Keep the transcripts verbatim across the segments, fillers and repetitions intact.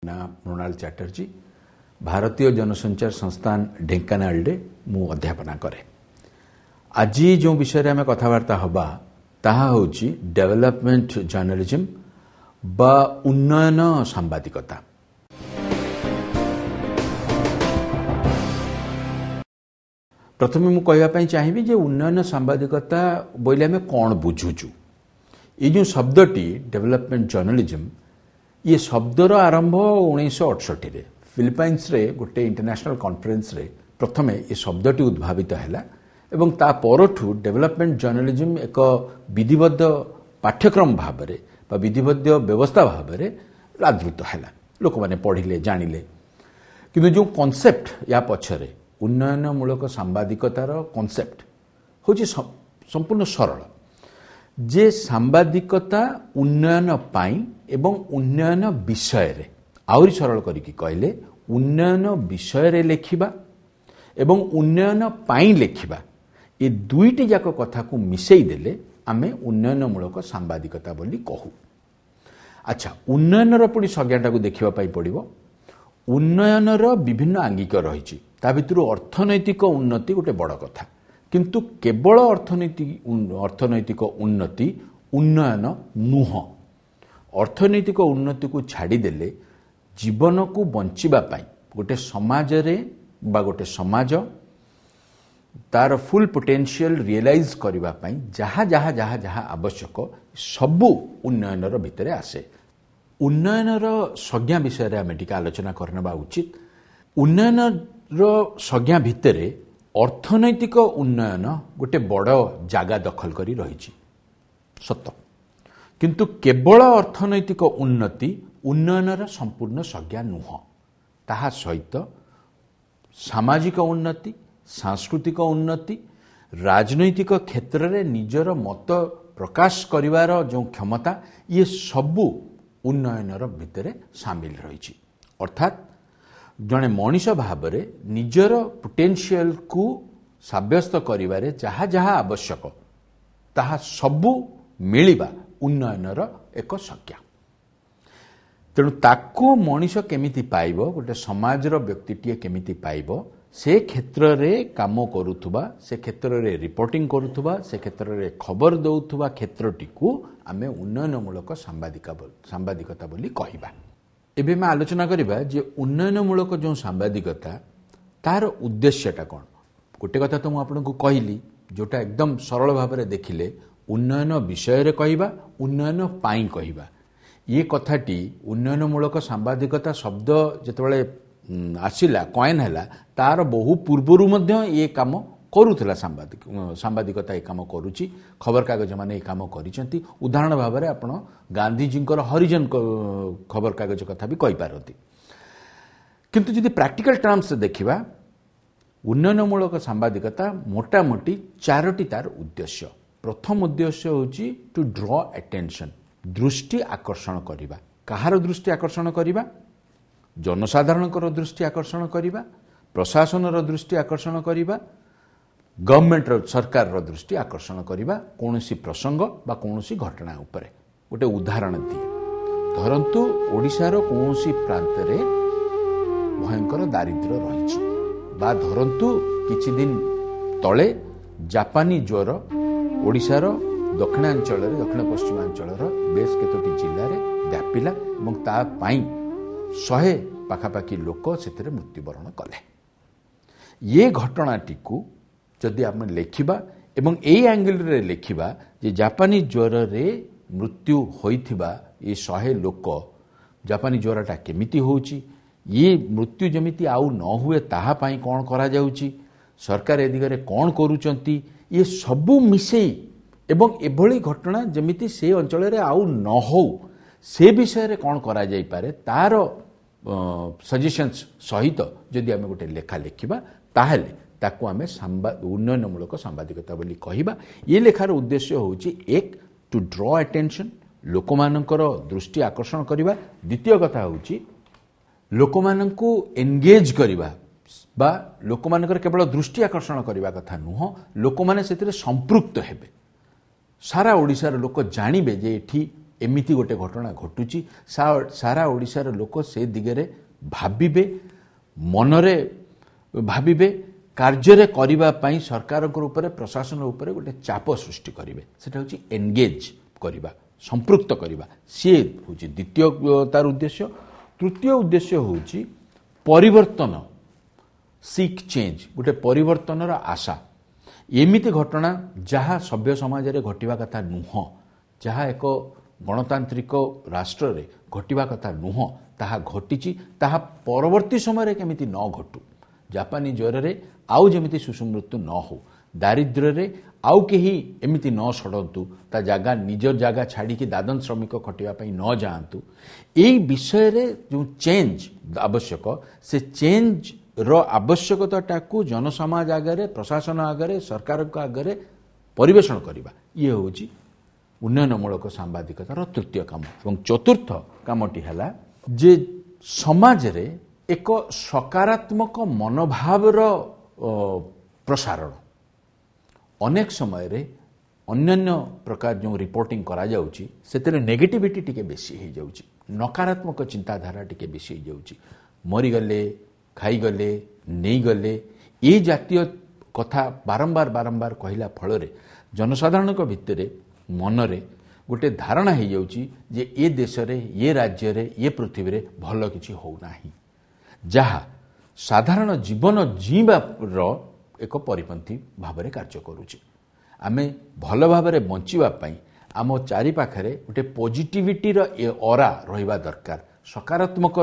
ନାଁ ମୃଣାଳ ଚାଟାର୍ଜୀ। ଭାରତୀୟ ଜନସଞ୍ଚାର ସଂସ୍ଥାନ ଢେଙ୍କାନାଳରେ ମୁଁ ଅଧ୍ୟାପନା କରେ। ଆଜି ଯେଉଁ ବିଷୟରେ ଆମେ କଥାବାର୍ତ୍ତା ହେବା ତାହା ହେଉଛି ଡେଭଲପମେଣ୍ଟ ଜର୍ଣ୍ଣାଲିଜିମ୍ ବା ଉନ୍ନୟନ ସାମ୍ବାଦିକତା। ପ୍ରଥମେ ମୁଁ କହିବା ପାଇଁ ଚାହିଁବି ଯେ ଉନ୍ନୟନ ସାମ୍ବାଦିକତା ବୋଇଲେ ଆମେ କ'ଣ ବୁଝୁଛୁ। ଏଇ ଯେଉଁ ଶବ୍ଦଟି ଡେଭଲପମେଣ୍ଟ ଜର୍ଣ୍ଣାଲିଜିମ୍, ଇଏ ଶବ୍ଦର ଆରମ୍ଭ ଉଣେଇଶହ ଅଠଷଠିରେ ଫିଲିପାଇନ୍ସରେ ଗୋଟେ ଇଣ୍ଟରନ୍ୟାସନାଲ କନଫରେନ୍ସରେ ପ୍ରଥମେ ଏ ଶବ୍ଦଟି ଉଦ୍ଭାବିତ ହେଲା ଏବଂ ତା ପରଠୁ ଡେଭଲପମେଣ୍ଟ ଜର୍ଣ୍ଣାଲିଜିମ୍ ଏକ ବିଧିବଦ୍ଧ ପାଠ୍ୟକ୍ରମ ଭାବରେ ବା ବିଧିବଦ୍ଧ ବ୍ୟବସ୍ଥା ଭାବରେ ଆଦୃତ ହେଲା। ଲୋକମାନେ ପଢ଼ିଲେ, ଜାଣିଲେ। କିନ୍ତୁ ଯେଉଁ କନସେପ୍ଟ ୟା ପଛରେ, ଉନ୍ନୟନମୂଳକ ସାମ୍ବାଦିକତାର କନସେପ୍ଟ ହେଉଛି ସମ୍ପୂର୍ଣ୍ଣ ସରଳ, ଯେ ସାମ୍ବାଦିକତା ଉନ୍ନୟନ ପାଇଁ ଏବଂ ଉନ୍ନୟନ ବିଷୟରେ, ଆହୁରି ସରଳ କରିକି କହିଲେ ଉନ୍ନୟନ ବିଷୟରେ ଲେଖିବା ଏବଂ ଉନ୍ନୟନ ପାଇଁ ଲେଖିବା, ଏ ଦୁଇଟି ଯାକ କଥାକୁ ମିଶାଇ ଦେଲେ ଆମେ ଉନ୍ନୟନମୂଳକ ସାମ୍ବାଦିକତା ବୋଲି କହୁ। ଆଚ୍ଛା, ଉନ୍ନୟନର ପୁଣି ସଂଜ୍ଞାଟାକୁ ଦେଖିବା ପାଇଁ ପଡ଼ିବ। ଉନ୍ନୟନର ବିଭିନ୍ନ ଆଙ୍ଗିକ ରହିଛି, ତା ଭିତରୁ ଅର୍ଥନୈତିକ ଉନ୍ନତି ଗୋଟେ ବଡ଼ କଥା, କିନ୍ତୁ କେବଳ ଅର୍ଥନୀତି ଅର୍ଥନୈତିକ ଉନ୍ନତି ଉନ୍ନୟନ ନୁହଁ। ଅର୍ଥନୈତିକ ଉନ୍ନତିକୁ ଛାଡ଼ିଦେଲେ ଜୀବନକୁ ବଞ୍ଚିବା ପାଇଁ ଗୋଟେ ସମାଜରେ ବା ଗୋଟେ ସମାଜ ତାର ଫୁଲ୍ ପୋଟେନ୍ସିଆଲ ରିଏଲାଇଜ୍ କରିବା ପାଇଁ ଯାହା ଯାହା ଯାହା ଯାହା ଆବଶ୍ୟକ ସବୁ ଉନ୍ନୟନର ଭିତରେ ଆସେ। ଉନ୍ନୟନର ସଂଜ୍ଞା ବିଷୟରେ ଆମେ ଟିକେ ଆଲୋଚନା କରିନେବା ଉଚିତ। ଉନ୍ନୟନର ସଂଜ୍ଞା ଭିତରେ ଅର୍ଥନୈତିକ ଉନ୍ନୟନ ଗୋଟେ ବଡ଼ ଜାଗା ଦଖଲ କରି ରହିଛି ସତ, କିନ୍ତୁ କେବଳ ଅର୍ଥନୈତିକ ଉନ୍ନତି ଉନ୍ନୟନର ସମ୍ପୂର୍ଣ୍ଣ ସଂଜ୍ଞା ନୁହଁ। ତାହା ସହିତ ସାମାଜିକ ଉନ୍ନତି, ସାଂସ୍କୃତିକ ଉନ୍ନତି, ରାଜନୈତିକ କ୍ଷେତ୍ରରେ ନିଜର ମତ ପ୍ରକାଶ କରିବାର ଯେଉଁ କ୍ଷମତା, ଇଏ ସବୁ ଉନ୍ନୟନର ଭିତରେ ସାମିଲ ରହିଛି। ଅର୍ଥାତ୍ ଜଣେ ମଣିଷ ଭାବରେ ନିଜର ପୋଟେନ୍ସିଆଲକୁ ସାବ୍ୟସ୍ତ କରିବାରେ ଯାହା ଯାହା ଆବଶ୍ୟକ ତାହା ସବୁ ମିଳିବା ଉନ୍ନୟନର ଏକ ସଂଜ୍ଞା। ତେଣୁ ତାକୁ ମଣିଷ କେମିତି ପାଇବ, ଗୋଟେ ସମାଜର ବ୍ୟକ୍ତିଟିଏ କେମିତି ପାଇବ, ସେ କ୍ଷେତ୍ରରେ କାମ କରୁଥିବା, ସେ କ୍ଷେତ୍ରରେ ରିପୋର୍ଟିଂ କରୁଥିବା, ସେ କ୍ଷେତ୍ରରେ ଖବର ଦେଉଥିବା କ୍ଷେତ୍ରଟିକୁ ଆମେ ଉନ୍ନୟନମୂଳକ ସାମ୍ବାଦିକ ସାମ୍ବାଦିକତା ବୋଲି କହିବା। ଏବେ ଆମେ ଆଲୋଚନା କରିବା ଯେ ଉନ୍ନୟନମୂଳକ ଯେଉଁ ସାମ୍ବାଦିକତା ତାର ଉଦ୍ଦେଶ୍ୟଟା କ'ଣ। ଗୋଟେ କଥା ତ ମୁଁ ଆପଣଙ୍କୁ କହିଲି, ଯେଉଁଟା ଏକଦମ ସରଳ ଭାବରେ ଦେଖିଲେ ଉନ୍ନୟନ ବିଷୟରେ କହିବା, ଉନ୍ନୟନ ପାଇଁ କହିବା। ଇଏ କଥାଟି ଉନ୍ନୟନମୂଳକ ସାମ୍ବାଦିକତା ଶବ୍ଦ ଯେତେବେଳେ ଆସିଲା, କଏନ୍ ହେଲା, ତାର ବହୁ ପୂର୍ବରୁ ମଧ୍ୟ ଇଏ କାମ କରୁଥିଲା। ସାମ୍ବାଦିକ ସାମ୍ବାଦିକତା ଏ କାମ କରୁଛି, ଖବରକାଗଜ ମାନେ ଏ କାମ କରିଛନ୍ତି। ଉଦାହରଣ ଭାବରେ ଆପଣ ଗାନ୍ଧିଜୀଙ୍କର ହରିଜନ ଖବରକାଗଜ କଥା ବି କହିପାରନ୍ତି। କିନ୍ତୁ ଯଦି ପ୍ରାକ୍ଟିକାଲ ଟର୍ମସରେ ଦେଖିବା, ଉନ୍ନୟନମୂଳକ ସାମ୍ବାଦିକତା ମୋଟାମୋଟି ଚାରୋଟି ତାର ଉଦ୍ଦେଶ୍ୟ। ପ୍ରଥମ ଉଦ୍ଦେଶ୍ୟ ହେଉଛି ଟୁ ଡ୍ର ଆଟେନସନ୍, ଦୃଷ୍ଟି ଆକର୍ଷଣ କରିବା। କାହାର ଦୃଷ୍ଟି ଆକର୍ଷଣ କରିବା? ଜନସାଧାରଣଙ୍କର ଦୃଷ୍ଟି ଆକର୍ଷଣ କରିବା, ପ୍ରଶାସନର ଦୃଷ୍ଟି ଆକର୍ଷଣ କରିବା, ଗଭର୍ଣ୍ଣମେଣ୍ଟର ସରକାରର ଦୃଷ୍ଟି ଆକର୍ଷଣ କରିବା କୌଣସି ପ୍ରସଙ୍ଗ ବା କୌଣସି ଘଟଣା ଉପରେ। ଗୋଟେ ଉଦାହରଣ ଦିଏ। ଧରନ୍ତୁ ଓଡ଼ିଶାର କୌଣସି ପ୍ରାନ୍ତରେ ଭୟଙ୍କର ଦାରିଦ୍ର୍ୟ ରହିଛି, ବା ଧରନ୍ତୁ କିଛି ଦିନ ତଳେ ଜାପାନୀ ଜ୍ୱର ଓଡ଼ିଶାର ଦକ୍ଷିଣାଞ୍ଚଳରେ, ଦକ୍ଷିଣ ପଶ୍ଚିମାଞ୍ଚଳର ବେଶ କେତୋଟି ଜିଲ୍ଲାରେ ବ୍ୟାପିଲା ଏବଂ ତା ପାଇଁ ଶହେ ପାଖାପାଖି ଲୋକ ସେଥିରେ ମୃତ୍ୟୁବରଣ କଲେ। ଇଏ ଘଟଣାଟିକୁ ଯଦି ଆମେ ଲେଖିବା ଏବଂ ଏଇ ଆଙ୍ଗେଲରେ ଲେଖିବା ଯେ ଜାପାନୀ ଜ୍ୱରରେ ମୃତ୍ୟୁ ହୋଇଥିବା ଏ ଶହେ ଲୋକ, ଜାପାନୀ ଜ୍ୱରଟା କେମିତି ହେଉଛି, ଇଏ ମୃତ୍ୟୁ ଯେମିତି ଆଉ ନ ହୁଏ ତାହା ପାଇଁ କ'ଣ କରାଯାଉଛି, ସରକାର ଏ ଦିଗରେ କ'ଣ କରୁଛନ୍ତି, ଇଏ ସବୁ ମିଶେଇ ଏବଂ ଏଭଳି ଘଟଣା ଯେମିତି ସେ ଅଞ୍ଚଳରେ ଆଉ ନ ହେଉ ସେ ବିଷୟରେ କ'ଣ କରାଯାଇପାରେ ତାର ସଜେସନ୍ସ ସହିତ ଯଦି ଆମେ ଗୋଟେ ଲେଖା ଲେଖିବା, ତାହେଲେ ତାକୁ ଆମେ ଉନ୍ନୟନମୂଳକ ସାମ୍ବାଦିକତା ବୋଲି କହିବା। ଏ ଲେଖାର ଉଦ୍ଦେଶ୍ୟ ହେଉଛି ଏକ, ଟୁ ଡ୍ର ଆଟେନସନ୍, ଲୋକମାନଙ୍କର ଦୃଷ୍ଟି ଆକର୍ଷଣ କରିବା। ଦ୍ୱିତୀୟ କଥା ହେଉଛି ଲୋକମାନଙ୍କୁ ଏନଗେଜ୍ କରିବା, ବା ଲୋକମାନଙ୍କର କେବଳ ଦୃଷ୍ଟି ଆକର୍ଷଣ କରିବା କଥା ନୁହଁ, ଲୋକମାନେ ସେଥିରେ ସମ୍ପୃକ୍ତ ହେବେ। ସାରା ଓଡ଼ିଶାର ଲୋକ ଜାଣିବେ ଯେ ଏଠି ଏମିତି ଗୋଟେ ଘଟଣା ଘଟୁଛି, ସାରା ଓଡ଼ିଶାର ଲୋକ ସେ ଦିଗରେ ଭାବିବେ, ମନରେ ଭାବିବେ, କାର୍ଯ୍ୟରେ କରିବା ପାଇଁ ସରକାରଙ୍କ ଉପରେ, ପ୍ରଶାସନ ଉପରେ ଗୋଟେ ଚାପ ସୃଷ୍ଟି କରିବେ। ସେଟା ହେଉଛି ଏନଗେଜ୍ କରିବା, ସମ୍ପୃକ୍ତ କରିବା, ସିଏ ହେଉଛି ଦ୍ୱିତୀୟ ତାର ଉଦ୍ଦେଶ୍ୟ। ତୃତୀୟ ଉଦ୍ଦେଶ୍ୟ ହେଉଛି ପରିବର୍ତ୍ତନ, ସିକ୍ ଚେଞ୍ଜ, ଗୋଟେ ପରିବର୍ତ୍ତନର ଆଶା। ଏମିତି ଘଟଣା ଯାହା ସଭ୍ୟ ସମାଜରେ ଘଟିବା କଥା ନୁହଁ, ଯାହା ଏକ ଗଣତାନ୍ତ୍ରିକ ରାଷ୍ଟ୍ରରେ ଘଟିବା କଥା ନୁହଁ, ତାହା ଘଟିଛି। ତାହା ପରବର୍ତ୍ତୀ ସମୟରେ କେମିତି ନ ଘଟୁ, ଜାପାନୀ ଜ୍ୱରରେ ଆଉ ଯେମିତି ଶିଶୁ ମୃତ୍ୟୁ ନ ହଉ, ଦାରିଦ୍ର୍ୟରେ ଆଉ କେହି ଏମିତି ନ ସଡ଼ନ୍ତୁ, ତା ଜାଗା ନିଜ ଜାଗା ଛାଡ଼ିକି ଦାଦନ ଶ୍ରମିକ ଖଟିବା ପାଇଁ ନ ଯାଆନ୍ତୁ, ଏଇ ବିଷୟରେ ଯେଉଁ ଚେଞ୍ଜ ଆବଶ୍ୟକ, ସେ ଚେଞ୍ଜର ଆବଶ୍ୟକତାଟାକୁ ଜନସମାଜ ଆଗରେ, ପ୍ରଶାସନ ଆଗରେ, ସରକାରଙ୍କ ଆଗରେ ପରିବେଷଣ କରିବା, ଇଏ ହେଉଛି ଉନ୍ନୟନମୂଳକ ସାମ୍ବାଦିକତାର ତୃତୀୟ କାମ। ଏବଂ ଚତୁର୍ଥ କାମଟି ହେଲା ଯେ ସମାଜରେ ଏକ ସକାରାତ୍ମକ ମନୋଭାବର ପ୍ରସାରଣ। ଅନେକ ସମୟରେ ଅନ୍ୟାନ୍ୟ ପ୍ରକାର ଯେଉଁ ରିପୋର୍ଟିଂ କରାଯାଉଛି ସେଥିରେ ନେଗେଟିଭିଟି ଟିକେ ବେଶୀ ହେଇଯାଉଛି, ନକାରାତ୍ମକ ଚିନ୍ତାଧାରା ଟିକେ ବେଶୀ ହେଇଯାଉଛି। ମରିଗଲେ, ଖାଇଗଲେ, ନେଇଗଲେ, ଏ ଜାତୀୟ କଥା ବାରମ୍ବାର ବାରମ୍ବାର କହିଲା ଫଳରେ ଜନସାଧାରଣଙ୍କ ଭିତରେ ମନରେ ଗୋଟେ ଧାରଣା ହେଇଯାଉଛି ଯେ ଏ ଦେଶରେ, ଏ ରାଜ୍ୟରେ, ଏ ପୃଥିବୀରେ ଭଲ କିଛି ହେଉନାହିଁ, ଯାହା ସାଧାରଣ ଜୀବନ ଜୀଇଁବାର ଏକ ପରିପନ୍ଥୀ ଭାବରେ କାର୍ଯ୍ୟ କରୁଛି। ଆମେ ଭଲ ଭାବରେ ବଞ୍ଚିବା ପାଇଁ ଆମ ଚାରିପାଖରେ ଗୋଟେ ପଜିଟିଭିଟିର ଏ ଅରା ରହିବା ଦରକାର, ସକାରାତ୍ମକ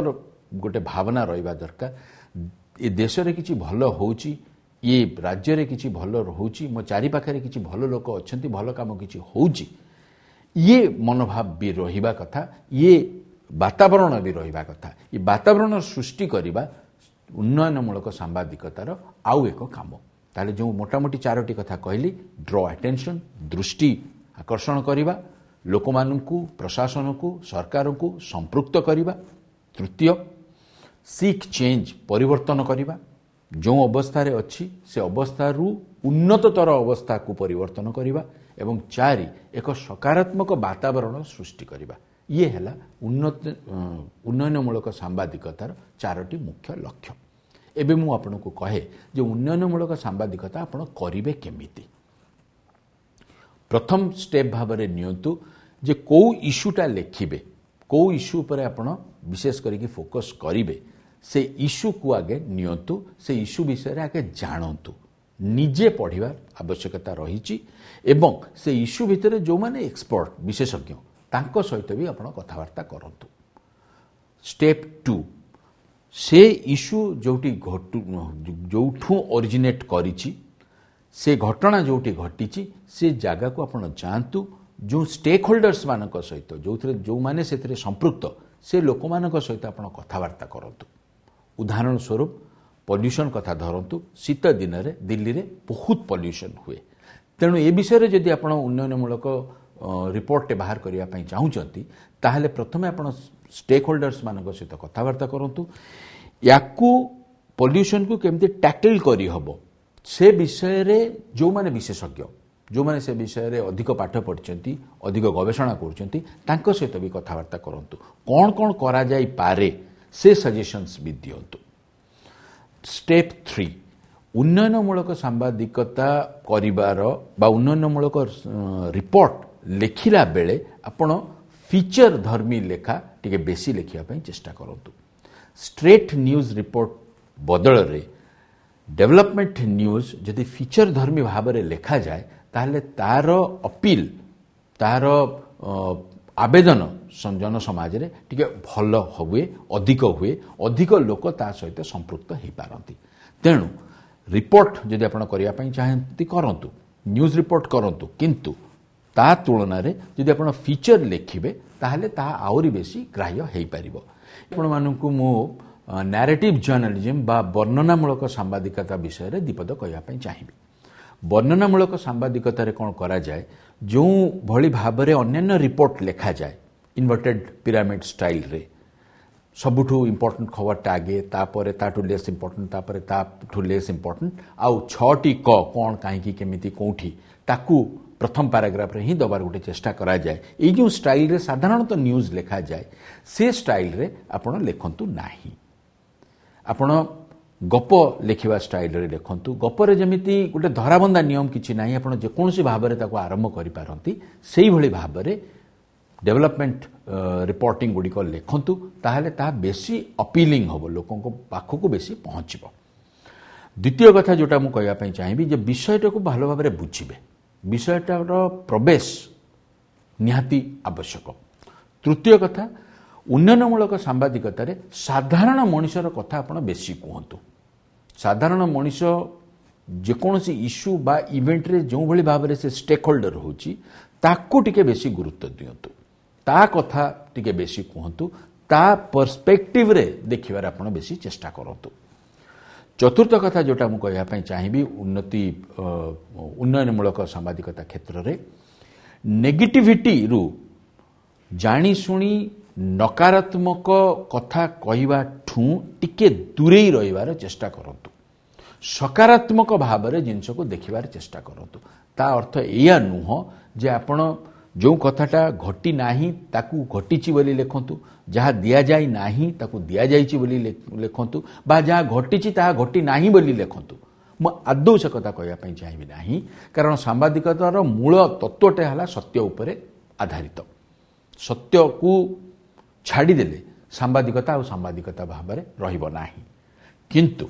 ଗୋଟେ ଭାବନା ରହିବା ଦରକାର। ଏ ଦେଶରେ କିଛି ଭଲ ହେଉଛି, ଏ ରାଜ୍ୟରେ କିଛି ଭଲ ରହୁଛି, ମୋ ଚାରିପାଖରେ କିଛି ଭଲ ଲୋକ ଅଛନ୍ତି, ଭଲ କାମ କିଛି ହେଉଛି, ଇଏ ମନୋଭାବ ବି ରହିବା କଥା, ଇଏ ବାତାବରଣ ବି ରହିବା କଥା। ଏ ବାତାବରଣ ସୃଷ୍ଟି କରିବା ଉନ୍ନୟନମୂଳକ ସାମ୍ବାଦିକତାର ଆଉ ଏକ କାମ। ତାହେଲେ ଯେଉଁ ମୋଟାମୋଟି ଚାରୋଟି କଥା କହିଲି, ଡ୍ର ଆଟେନସନ୍, ଦୃଷ୍ଟି ଆକର୍ଷଣ କରିବା, ଲୋକମାନଙ୍କୁ, ପ୍ରଶାସନକୁ, ସରକାରଙ୍କୁ ସମ୍ପୃକ୍ତ କରିବା, ତୃତୀୟ ସିକ୍ ଚେଞ୍ଜ, ପରିବର୍ତ୍ତନ କରିବା, ଯେଉଁ ଅବସ୍ଥାରେ ଅଛି ସେ ଅବସ୍ଥାରୁ ଉନ୍ନତତର ଅବସ୍ଥାକୁ ପରିବର୍ତ୍ତନ କରିବା, ଏବଂ ଚାରି ଏକ ସକାରାତ୍ମକ ବାତାବରଣ ସୃଷ୍ଟି କରିବା। ଇଏ ହେଲା ଉନ୍ନତ ଉନ୍ନୟନମୂଳକ ସାମ୍ବାଦିକତାର ଚାରୋଟି ମୁଖ୍ୟ ଲକ୍ଷ୍ୟ। ଏବେ ମୁଁ ଆପଣଙ୍କୁ କହେ ଯେ ଉନ୍ନୟନମୂଳକ ସାମ୍ବାଦିକତା ଆପଣ କରିବେ କେମିତି। ପ୍ରଥମ ଷ୍ଟେପ୍ ଭାବରେ ନିଅନ୍ତୁ ଯେ କେଉଁ ଇସ୍ୟୁଟା ଲେଖିବେ, କେଉଁ ଇସ୍ୟୁ ଉପରେ ଆପଣ ବିଶେଷ କରିକି ଫୋକସ୍ କରିବେ, ସେ ଇସ୍ୟୁକୁ ଆଗେ ନିଅନ୍ତୁ, ସେ ଇସ୍ୟୁ ବିଷୟରେ ଆଗେ ଜାଣନ୍ତୁ, ନିଜେ ପଢ଼ିବା ଆବଶ୍ୟକତା ରହିଛି, ଏବଂ ସେ ଇସ୍ୟୁ ଭିତରେ ଯେଉଁମାନେ ଏକ୍ସପର୍ଟ, ବିଶେଷଜ୍ଞ, ତାଙ୍କ ସହିତ ବି ଆପଣ କଥାବାର୍ତ୍ତା କରନ୍ତୁ। ଷ୍ଟେପ୍ ଟୁ, ସେ ଇସ୍ୟୁ ଯେଉଁଠି ଘଟୁ, ଯେଉଁଠୁ ଅରିଜିନେଟ୍ କରିଛି, ସେ ଘଟଣା ଯେଉଁଠି ଘଟିଛି, ସେ ଜାଗାକୁ ଆପଣ ଯାଆନ୍ତୁ, ଯେଉଁ ଷ୍ଟେକ୍ ହୋଲ୍ଡର୍ସ ମାନଙ୍କ ସହିତ, ଯେଉଁଥିରେ ଯେଉଁମାନେ ସେଥିରେ ସମ୍ପୃକ୍ତ, ସେ ଲୋକମାନଙ୍କ ସହିତ ଆପଣ କଥାବାର୍ତ୍ତା କରନ୍ତୁ। ଉଦାହରଣ ସ୍ୱରୂପ ପଲ୍ୟୁସନ୍ କଥା ଧରନ୍ତୁ, ଶୀତ ଦିନରେ ଦିଲ୍ଲୀରେ ବହୁତ ପଲ୍ୟୁସନ୍ ହୁଏ। ତେଣୁ ଏ ବିଷୟରେ ଯଦି ଆପଣ ଉନ୍ନୟନମୂଳକ ରିପୋର୍ଟଟେ ବାହାର କରିବା ପାଇଁ ଚାହୁଁଛନ୍ତି, ତାହେଲେ ପ୍ରଥମେ ଆପଣ ଷ୍ଟେକ୍ ହୋଲ୍ଡର୍ସ ମାନଙ୍କ ସହିତ କଥାବାର୍ତ୍ତା କରନ୍ତୁ, ୟାକୁ ପଲ୍ୟୁସନ୍କୁ କେମିତି ଟ୍ୟାକଲ୍ କରିହେବ ସେ ବିଷୟରେ ଯେଉଁମାନେ ବିଶେଷଜ୍ଞ, ଯେଉଁମାନେ ସେ ବିଷୟରେ ଅଧିକ ପାଠ ପଢ଼ିଛନ୍ତି, ଅଧିକ ଗବେଷଣା କରୁଛନ୍ତି, ତାଙ୍କ ସହିତ ବି କଥାବାର୍ତ୍ତା କରନ୍ତୁ। କ'ଣ କ'ଣ କରାଯାଇପାରେ ସେ ସଜେସନ୍ସ ବି ଦିଅନ୍ତୁ। ଷ୍ଟେପ୍ ଥ୍ରୀ, ଉନ୍ନୟନମୂଳକ ସାମ୍ବାଦିକତା କରିବାର ବା ଉନ୍ନୟନମୂଳକ ରିପୋର୍ଟ ଲେଖିଲା ବେଳେ ଆପଣ ଫିଚର ଧର୍ମୀ ଲେଖା ଟିକେ ବେଶୀ ଲେଖିବା ପାଇଁ ଚେଷ୍ଟା କରନ୍ତୁ। ଷ୍ଟ୍ରେଟ୍ ନ୍ୟୁଜ୍ ରିପୋର୍ଟ ବଦଳରେ ଡେଭଲପମେଣ୍ଟ ନ୍ୟୁଜ୍ ଯଦି ଫିଚର ଧର୍ମୀ ଭାବରେ ଲେଖାଯାଏ, ତାହେଲେ ତାର ଅପିଲ୍, ତାର ଆବେଦନ ଜନସମାଜରେ ଟିକେ ଭଲ ହୁଏ, ଅଧିକ ହୁଏ, ଅଧିକ ଲୋକ ତା ସହିତ ସମ୍ପୃକ୍ତ ହେଇପାରନ୍ତି। ତେଣୁ ରିପୋର୍ଟ ଯଦି ଆପଣ କରିବା ପାଇଁ ଚାହାନ୍ତି କରନ୍ତୁ, ନ୍ୟୁଜ୍ ରିପୋର୍ଟ କରନ୍ତୁ, କିନ୍ତୁ ତା ତୁଳନାରେ ଯଦି ଆପଣ ଫିଚର ଲେଖିବେ ତାହେଲେ ତାହା ଆହୁରି ବେଶୀ ଗ୍ରାହ୍ୟ ହେଇପାରିବ। ଆପଣମାନଙ୍କୁ ମୁଁ ନାରେଟିଭ୍ ଜର୍ଣ୍ଣାଲିଜିମ୍ ବା ବର୍ଣ୍ଣନାମୂଳକ ସାମ୍ବାଦିକତା ବିଷୟରେ ଦ୍ୱିପଦ କହିବା ପାଇଁ ଚାହିଁବି। ବର୍ଣ୍ଣନାମୂଳକ ସାମ୍ବାଦିକତାରେ କ'ଣ କରାଯାଏ, ଯେଉଁଭଳି ଭାବରେ ଅନ୍ୟାନ୍ୟ ରିପୋର୍ଟ ଲେଖାଯାଏ ଇନଭର୍ଟେଡ୍ ପିରାମିଡ୍ ଷ୍ଟାଇଲ୍ରେ, ସବୁଠୁ ଇମ୍ପୋର୍ଟାଣ୍ଟ ଖବରଟା ଆଗେ, ତାପରେ ତାଠୁ ଲେସ୍ ଇମ୍ପୋର୍ଟାଣ୍ଟ, ତାପରେ ତାଠୁ ଲେସ୍ ଇମ୍ପୋର୍ଟାଣ୍ଟ, ଆଉ ଛଅଟି କ, କ'ଣ, କାହିଁକି, କେମିତି, କେଉଁଠି, ତାକୁ ପ୍ରଥମ ପାରାଗ୍ରାଫରେ ହିଁ ଦେବାର ଗୋଟେ ଚେଷ୍ଟା କରାଯାଏ। ଏଇ ଯେଉଁ ଷ୍ଟାଇଲରେ ସାଧାରଣତଃ ନ୍ୟୁଜ୍ ଲେଖାଯାଏ ସେ ଷ୍ଟାଇଲରେ ଆପଣ ଲେଖନ୍ତୁ ନାହିଁ। ଆପଣ ଗପ ଲେଖିବା ଷ୍ଟାଇଲରେ ଲେଖନ୍ତୁ। ଗପରେ ଯେମିତି ଗୋଟେ ଧରାବନ୍ଧା ନିୟମ କିଛି ନାହିଁ, ଆପଣ ଯେକୌଣସି ଭାବରେ ତାକୁ ଆରମ୍ଭ କରିପାରନ୍ତି, ସେଇଭଳି ଭାବରେ ଡେଭଲପମେଣ୍ଟ ରିପୋର୍ଟିଂ ଗୁଡ଼ିକ ଲେଖନ୍ତୁ, ତାହେଲେ ତାହା ବେଶୀ ଅପିଲିଂ ହେବ, ଲୋକଙ୍କ ପାଖକୁ ବେଶୀ ପହଞ୍ଚିବ। ଦ୍ୱିତୀୟ କଥା ଯେଉଁଟା ମୁଁ କହିବା ପାଇଁ ଚାହିଁବି ଯେ ବିଷୟଟାକୁ ଭଲ ଭାବରେ ବୁଝିବେ, ବିଷୟଟାର ପ୍ରବେଶ ନିହାତି ଆବଶ୍ୟକ। ତୃତୀୟ କଥା, ଉନ୍ନୟନମୂଳକ ସାମ୍ବାଦିକତାରେ ସାଧାରଣ ମଣିଷର କଥା ଆପଣ ବେଶୀ କୁହନ୍ତୁ। ସାଧାରଣ ମଣିଷ ଯେକୌଣସି ଇସ୍ୟୁ ବା ଇଭେଣ୍ଟରେ ଯେଉଁଭଳି ଭାବରେ ସେ ଷ୍ଟେକ୍ ହୋଲ୍ଡର ହେଉଛି ତାକୁ ଟିକେ ବେଶୀ ଗୁରୁତ୍ୱ ଦିଅନ୍ତୁ, ତା କଥା ଟିକେ ବେଶୀ କୁହନ୍ତୁ, ତା ପର୍ସପେକ୍ଟିଭରେ ଦେଖିବାରେ ଆପଣ ବେଶୀ ଚେଷ୍ଟା କରନ୍ତୁ। ଚତୁର୍ଥ କଥା ଯେଉଁଟା ମୁଁ କହିବା ପାଇଁ ଚାହିଁବି ଉନ୍ନତି ଉନ୍ନୟନମୂଳକ ସାମ୍ବାଦିକତା କ୍ଷେତ୍ରରେ ନେଗେଟିଭିଟିରୁ ଜାଣିଶୁଣି ନକାରାତ୍ମକ କଥା କହିବାଠୁଁ ଟିକେ ଦୂରେଇ ରହିବାର ଚେଷ୍ଟା କରନ୍ତୁ, ସକାରାତ୍ମକ ଭାବରେ ଜିନିଷକୁ ଦେଖିବାର ଚେଷ୍ଟା କରନ୍ତୁ। ତା ଅର୍ଥ ଏଇଆ ନୁହଁ ଯେ ଆପଣ ଯେଉଁ କଥାଟା ଘଟି ନାହିଁ ତାକୁ ଘଟିଛି ବୋଲି ଲେଖନ୍ତୁ, ଯାହା ଦିଆଯାଇ ନାହିଁ ତାକୁ ଦିଆଯାଇଛି ବୋଲି ଲେଖନ୍ତୁ, ବା ଯାହା ଘଟିଛି ତାହା ଘଟି ନାହିଁ ବୋଲି ଲେଖନ୍ତୁ। ମୁଁ ଆଦୌ ସେ କଥା କହିବା ପାଇଁ ଚାହିଁବି ନାହିଁ, କାରଣ ସାମ୍ବାଦିକତାର ମୂଳ ତତ୍ତ୍ୱଟା ହେଲା ସତ୍ୟ ଉପରେ ଆଧାରିତ। ସତ୍ୟକୁ ଛାଡ଼ିଦେଲେ ସାମ୍ବାଦିକତା ଆଉ ସାମ୍ବାଦିକତା ଭାବରେ ରହିବ ନାହିଁ। କିନ୍ତୁ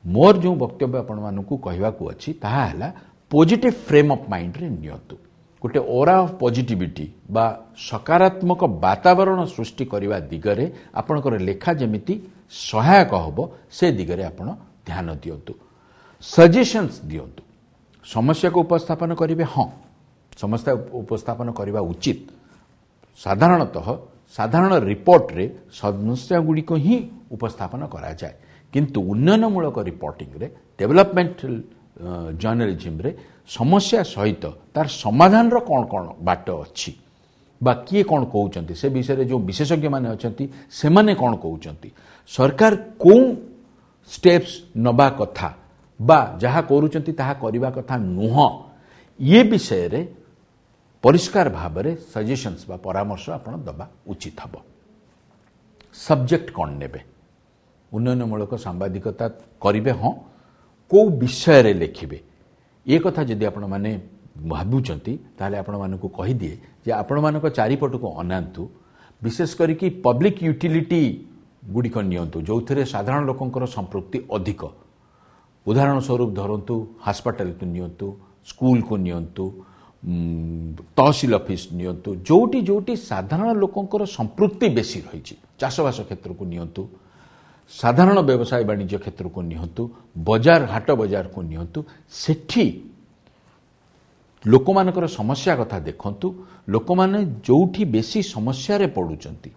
ମୋର ଯେଉଁ ବକ୍ତବ୍ୟ ଆପଣମାନଙ୍କୁ କହିବାକୁ ଅଛି ତାହା ହେଲା ପଜିଟିଭ୍ ଫ୍ରେମ୍ ଅଫ୍ ମାଇଣ୍ଡରେ ନିଅନ୍ତୁ। ଗୋଟେ ଓରା ଅଫ୍ ପଜିଟିଭିଟି ବା ସକାରାତ୍ମକ ବାତାବରଣ ସୃଷ୍ଟି କରିବା ଦିଗରେ ଆପଣଙ୍କର ଲେଖା ଯେମିତି ସହାୟକ ହେବ ସେ ଦିଗରେ ଆପଣ ଧ୍ୟାନ ଦିଅନ୍ତୁ, ସଜେସନ୍ସ ଦିଅନ୍ତୁ। ସମସ୍ୟାକୁ ଉପସ୍ଥାପନ କରିବେ, ହଁ ସମସ୍ୟା ଉପସ୍ଥାପନ କରିବା ଉଚିତ। ସାଧାରଣତଃ ସାଧାରଣ ରିପୋର୍ଟରେ ସମସ୍ୟା ଗୁଡ଼ିକ ହିଁ ଉପସ୍ଥାପନ କରାଯାଏ, କିନ୍ତୁ ଉନ୍ନୟନମୂଳକ ରିପୋର୍ଟିଂରେ ଡେଭଲପମେଣ୍ଟ ଜର୍ଣ୍ଣାଲିଜିମ୍ରେ ସମସ୍ୟା ସହିତ ତାର ସମାଧାନର କ'ଣ କ'ଣ ବାଟ ଅଛି ବା କିଏ କ'ଣ କହୁଛନ୍ତି ସେ ବିଷୟରେ ଯେଉଁ ବିଶେଷଜ୍ଞମାନେ ଅଛନ୍ତି ସେମାନେ କ'ଣ କହୁଛନ୍ତି, ସରକାର କେଉଁ ଷ୍ଟେପ୍ସ ନେବା କଥା ବା ଯାହା କରୁଛନ୍ତି ତାହା କରିବା କଥା ନୁହଁ, ଇଏ ବିଷୟରେ ପରିଷ୍କାର ଭାବରେ ସଜେସନ୍ସ ବା ପରାମର୍ଶ ଆପଣ ଦେବା ଉଚିତ ହେବ। ସବଜେକ୍ଟ କ'ଣ ନେବେ, ଉନ୍ନୟନମୂଳକ ସାମ୍ବାଦିକତା କରିବେ, ହଁ କେଉଁ ବିଷୟରେ ଲେଖିବେ, ଏ କଥା ଯଦି ଆପଣମାନେ ଭାବୁଛନ୍ତି ତାହେଲେ ଆପଣମାନଙ୍କୁ କହିଦିଏ ଯେ ଆପଣମାନଙ୍କ ଚାରିପଟକୁ ଅନାନ୍ତୁ, ବିଶେଷ କରିକି ପବ୍ଲିକ୍ ୟୁଟିଲିଟି ଗୁଡ଼ିକ ନିଅନ୍ତୁ ଯେଉଁଥିରେ ସାଧାରଣ ଲୋକଙ୍କର ସମ୍ପୃକ୍ତି ଅଧିକ। ଉଦାହରଣ ସ୍ୱରୂପ ଧରନ୍ତୁ ହସ୍ପିଟାଲକୁ ନିଅନ୍ତୁ, ସ୍କୁଲକୁ ନିଅନ୍ତୁ, ତହସିଲ ଅଫିସ ନିଅନ୍ତୁ, ଯେଉଁଠି ଯେଉଁଠି ସାଧାରଣ ଲୋକଙ୍କର ସମ୍ପୃକ୍ତି ବେଶୀ ରହିଛି, ଚାଷବାସ କ୍ଷେତ୍ରକୁ ନିଅନ୍ତୁ, ସାଧାରଣ ବ୍ୟବସାୟ ବାଣିଜ୍ୟ କ୍ଷେତ୍ରକୁ ନିଅନ୍ତୁ, ବଜାର ହାଟ ବଜାରକୁ ନିଅନ୍ତୁ, ସେଠି ଲୋକମାନଙ୍କର ସମସ୍ୟା କଥା ଦେଖନ୍ତୁ। ଲୋକମାନେ ଯେଉଁଠି ବେଶୀ ସମସ୍ୟାରେ ପଡ଼ୁଛନ୍ତି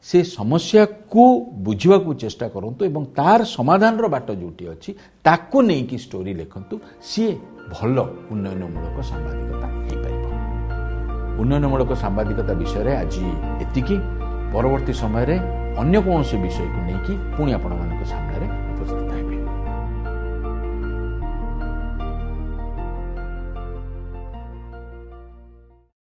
ସେ ସମସ୍ୟାକୁ ବୁଝିବାକୁ ଚେଷ୍ଟା କରନ୍ତୁ ଏବଂ ତାର ସମାଧାନର ବାଟ ଯେଉଁଠି ଅଛି ତାକୁ ନେଇକି ଷ୍ଟୋରି ଲେଖନ୍ତୁ, ସିଏ ଭଲ ଉନ୍ନୟନମୂଳକ ସାମ୍ବାଦିକତା ହେଇପାରିବ। ଉନ୍ନୟନମୂଳକ ସାମ୍ବାଦିକତା ବିଷୟରେ ଆଜି ଏତିକି। ପରବର୍ତ୍ତୀ ସମୟରେ ଅନ୍ୟ କୌଣସି ବିଷୟକୁ ନେଇକି ପୁଣି ଆପଣମାନଙ୍କ ସାମ୍ନାରେ